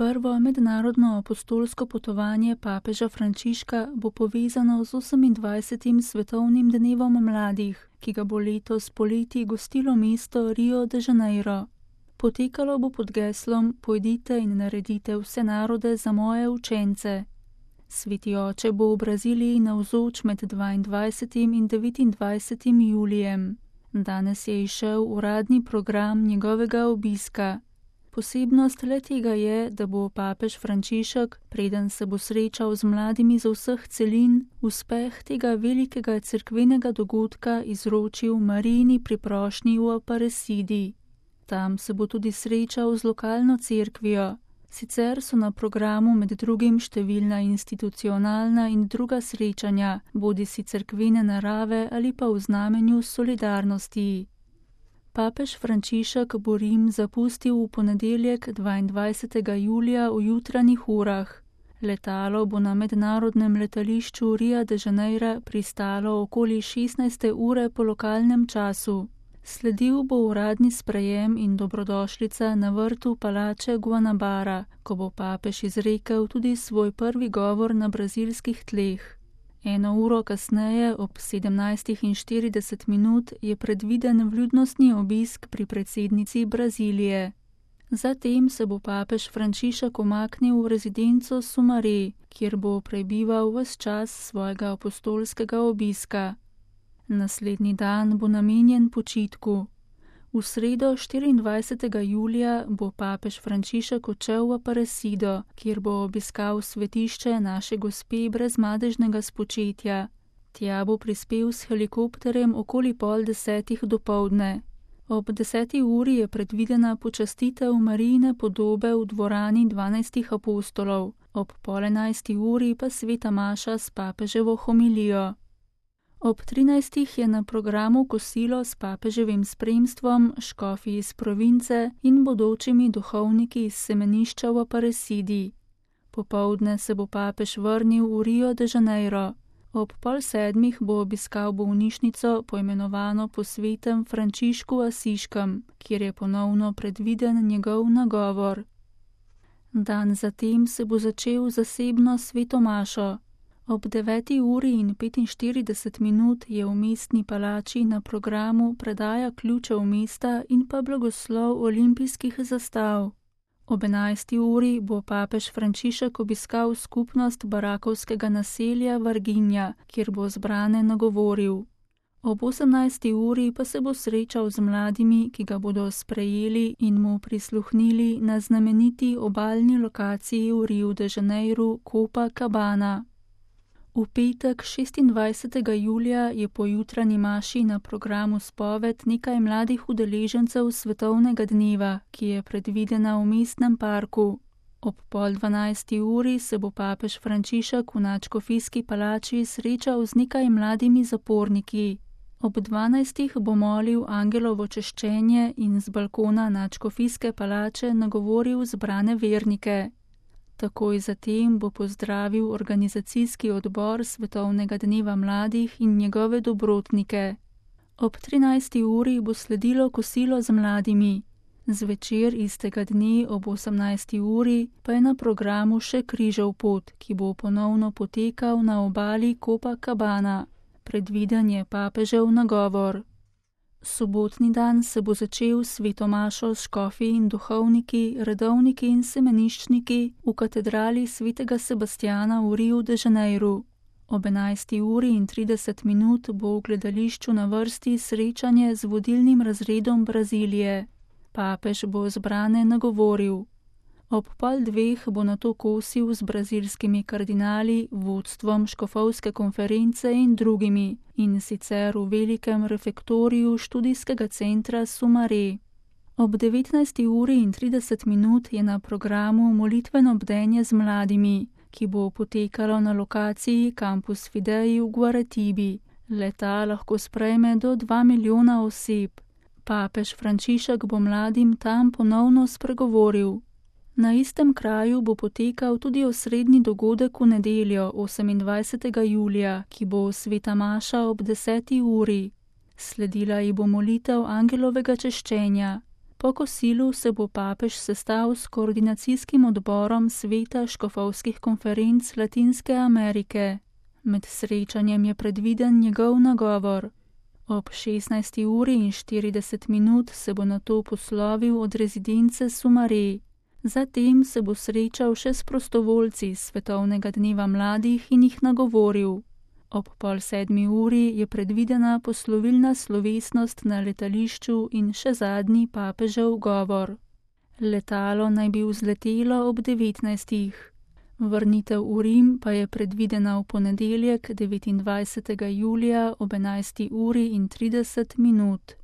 Prvo mednarodno apostolsko potovanje papeža Frančiška bo povezano z 28. svetovnim dnevom mladih, ki ga bo letos poleti gostilo mesto Rio de Janeiro. Potekalo bo pod geslom Pojdite in naredite vse narode za moje učence. Sveti oče bo v Braziliji navzoč med 22. in 29. julijem. Danes je izšel uradni program njegovega obiska. Posebnost le-tega je, da bo papež Frančišek, preden se bo srečal z mladimi z vseh celin, uspeh tega velikega cerkvenega dogodka izročil Marijini priprošnji v Aparecidi. Tam se bo tudi srečal z lokalno cerkvijo. Sicer so na programu med drugim številna institucionalna in druga srečanja, bodisi cerkvene narave ali pa v znamenju solidarnosti. Papež Frančišek bo Rim zapustil v ponedeljek 22. julija v jutranjih urah. Letalo bo na mednarodnem letališču Ria de Janeiro pristalo okoli 16. ure po lokalnem času. Sledil bo uradni sprejem in dobrodošlica na vrtu palače Guanabara, ko bo papež izrekel tudi svoj prvi govor na brazilskih tleh. 1 uro kasneje, ob 17:40, je predviden vljudnostni obisk pri predsednici Brazilije. Zatem se bo papež Frančišek umaknil v rezidenco Sumaré, kjer bo prebival ves čas svojega apostolskega obiska. Naslednji dan bo namenjen počitku. V sredo 24. julija bo papež Frančišek odšel v Aparecido, kjer bo obiskal svetišče Naše Gospe brezmadežnega spočetja. Tja bo prispel s helikopterjem okoli 9:30 dopoldne. Ob 10. uri je predvidena počastitev Marijine podobe v dvorani 12 apostolov, ob 10:30 uri pa sveta maša s papeževo homilijo. Ob 13. je na programu kosilo s papeževim spremstvom, škofi iz province in bodočimi duhovniki iz semenišča v Aparecidi. Popoldne se bo papež vrnil v Rio de Janeiro. Ob 6:30 bo obiskal bolnišnico, poimenovano po svetem Frančišku Asiškem, kjer je ponovno predviden njegov nagovor. Dan zatem se bo začel zasebno sveto mašo. Ob 9:45 je v mestni palači na programu predaja ključev mesta in pa blagoslov olimpijskih zastav. Ob 11. uri bo papež Frančišek obiskal skupnost barakovskega naselja Varginja, kjer bo zbrane nagovoril. Ob 18. uri pa se bo srečal z mladimi, ki ga bodo sprejeli in mu prisluhnili na znameniti obalni lokaciji v Rio de Janeiro Copacabana. V petek 26. julija je po jutranji maši na programu spoved nekaj mladih udeležencev svetovnega dneva, ki je predvidena v mestnem parku. Ob 11:30 uri se bo papež Frančišek v nadškofijski palači srečal z nekaj mladimi zaporniki. Ob 12. bo molil angelovo češčenje in z balkona nadškofijske palače nagovoril zbrane vernike. Takoj zatem bo pozdravil organizacijski odbor Svetovnega dneva mladih in njegove dobrotnike. Ob 13. uri bo sledilo kosilo z mladimi. Zvečer istega dne ob 18. uri pa je na programu še križev pot, ki bo ponovno potekal na obali Copacabana. Predviden je papežev nagovor. Sobotni dan se bo začel sveto mašo s škofi in duhovniki, redovniki in semeniščniki v katedrali svetega Sebastjana v Rio de Janeiro. Ob 11:30 bo v gledališču na vrsti srečanje z vodilnim razredom Brazilije. Papež bo zbrane nagovoril. Ob 12:30 bo nato kosil z brazilskimi kardinali, vodstvom škofovske konference in drugimi, in sicer v velikem refektoriju študijskega centra Sumaré. Ob 19:30 je na programu molitveno bdenje z mladimi, ki bo potekalo na lokaciji Campus Fidei v Guaratibi. Leta lahko sprejme do 2 milijona oseb. Papež Frančišek bo mladim tam ponovno spregovoril. Na istem kraju bo potekal tudi osrednji dogodek v nedeljo 28. julija, ki bo sveta maša ob 10. uri. Sledila ji bo molitev angelovega češčenja. Po kosilu se bo papež sestal s koordinacijskim odborom Sveta škofovskih konferenc Latinske Amerike. Med srečanjem je predviden njegov nagovor. Ob 16:40 se bo nato poslovil od rezidence Sumare. Zatem se bo srečal še s prostovoljci Svetovnega dneva mladih in jih nagovoril. Ob 6:30 je predvidena poslovilna slovesnost na letališču in še zadnji papežev govor. Letalo naj bi vzletelo ob 19. Vrnitev v Rim pa je predvidena v ponedeljek 29. julija ob 11:30.